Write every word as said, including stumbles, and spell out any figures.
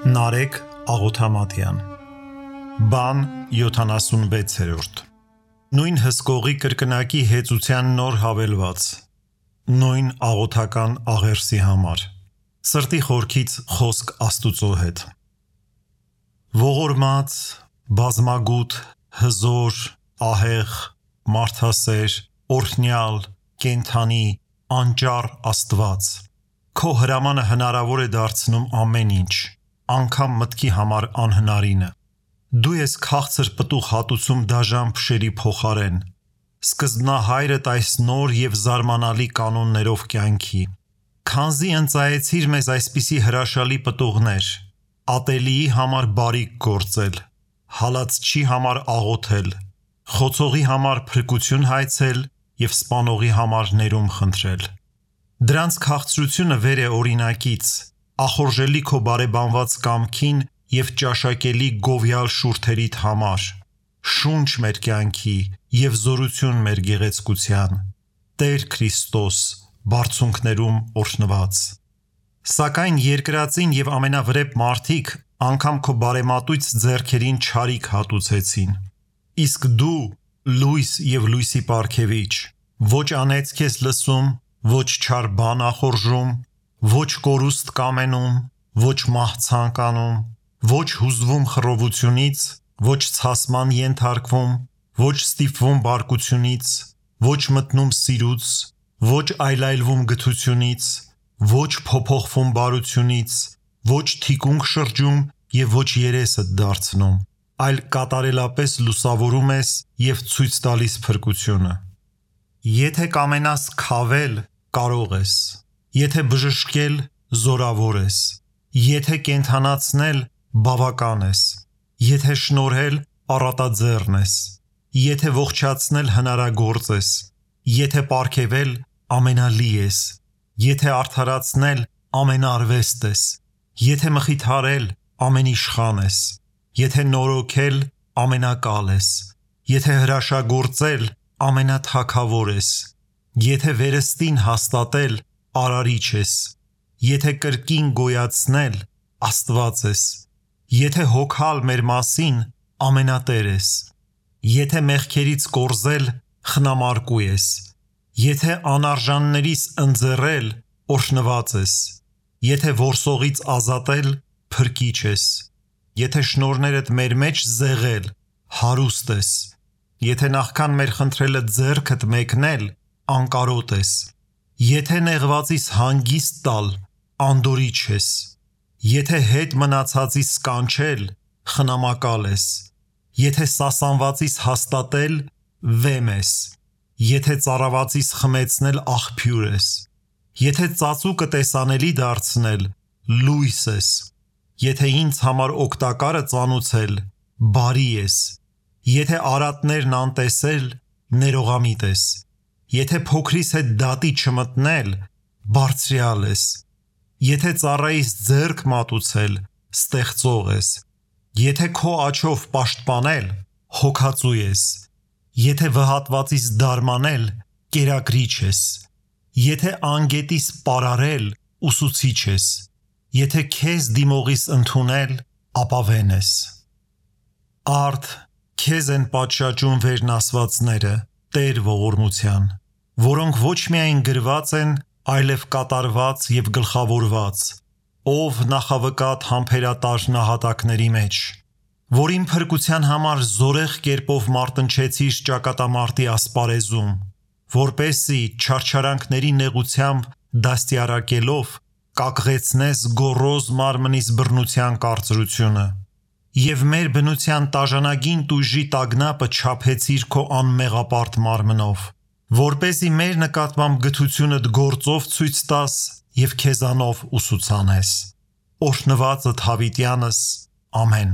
Նարեկ Աղոթամատյան Բան յոթանասունվեցերորդ Նույն հսկողի կրկնակի հեծության նոր հավելված Նույն աղոթական աղերսի համար Սրտի խորքից խոսք Աստուծո հետ Ողորմած, բազմագութ, հզոր, ահեղ, մարդասեր, օրհնյալ, կենդանի, անճառ Աստված Քո հրամանը հնարավոր է դարձնում ամեն ինչ անգամ մտքի համար անհնարինը Դու ես քաղցր պտուղ հատուցում դաժան փշերի փոխարեն Սկզբնահայրդ այս նոր և զարմանալի կանոններով կյանքի Քանզի ընծայեցիր մեզ այսպիսի հրաշալի պտուղներ Ատելիի համար բարիք գործել Հալածչի համար աղոթել Խոցողի համար փրկություն հայցել և սպանողի համար ներում խնդրել Դրանց քաղցրությունը վեր է օրինակից Ախորժելի քո բարեբանված կամքին և ճաշակելի գովյալ շուրթերիդ համար Շունչ մեր կյանքի և զորություն մեր գեղեցկության Տեր Քրիստոս, բարձունքներում օրհնված Սակայն երկրածին և ամենավրեպ մարդիկ անգամ քո բարեմատույց ձեռքերին չարիք հատուցեցին Իսկ դու լույս և լույսի պարգևիչ Ոչ անեծք ես լսում, ոչ չար բան ախորժում Ոչ կորուստ կամենում, ոչ մահցանք անում Ոչ հուզվում խռովությունից, ոչ ցասման ենթարկվում Ոչ ստիպվում բարկությունից, ոչ մտնում սիրուց Ոչ այլայլվում գթությունից, ոչ փոփոխվում բարությունից Ոչ թիկունք շրջում և ոչ երեսդ դարձնում Այլ կատարելապես լուսավորում ես և ցույց տալիս փրկությունը Եթե կամենաս քավել, կարող ես Եթե բժշկել, զորավոր ես Եթե կենդանացնել, բավական ես Եթե շնորհել, առատաձեռն ես Եթե ողջացնել, հնարագործ ես Եթե պարգևել, ամենալի ես Եթե արդարացնել, ամենաարվեստ ես Եթե մխիթարել, ամենիշխան ես Եթե նորոգել, ամենակալ ես Եթե հրաշագործել, ամենաթագավոր ես Եթե վերստին հաստատել, արարիչ ես Եթե կրկին գոյացնել, Աստված ես Եթե հոգալ մեր մասին, ամենատեր ես Եթե մեղքերից կորզել, խնամարկու ես Եթե անարժաններիս ընձեռել, օրհնված ես Եթե որսողից ազատել, փրկիչ ես Եթե շնորհներդ մեր մեջ զեղել, հարուստ ես Եթե նախքան մեր խնդրելը ձեռքդ մեկնել, անկարոտ ես Եթե նեղվածիս հանգիստ տալ, անդորիչ ես Եթե հետ մնացածիս կանչել, խնամակալ ես Եթե սասանվածիս հաստատել, վեմ ես Եթե ծառավածիս խմեցնել, աղբյուր ես Եթե ծածուկը տեսանելի դարձնել, լույս ես Եթե ինձ համար օգտակարը ծանուցել, բարի ես Եթե արատներն անտեսել, ներողամիտ ես Եթե փոքրիս հետ դատի չմտնել, բարձրյալ ես Եթե ծառայիս ձեռք մատուցել, ստեղծող ես Եթե քո աջով պաշտպանել, հոգածու ես Եթե վհատվածիս դարմանել, կերակրիչ ես Եթե անգետիս պարարել, ուսուցիչ ես Եթե քեզ դիմողիս ընդունել, ապավեն ես Արդ, քեզ են պատշաճում վերնասվածները, Տեր ողորմության Որոնք ոչ միայն գրված են, այլև կատարված և գլխավորված Ով նախավկատ համբերատար նահատակների մեջ Որին փրկության համար զորեղ կերպով մարտնչեցիր ճակատամարտի ասպարեզում Որպեսզի չարչարանքների նեղությամբ դաստիարակելով Կակղեցնես գոռոզ մարմնիս բռնության կարծրությունը Եվ մեր բնության տաժանագին տույժի տագնապը չափեցիր քո անմեղապարտ մարմնով Որպեսզի մեր նկատմամբ գթությունդ գործով ցույց տաս և քեզանով ուսուցանես Օրհնվածդ հավիտյանս, ամեն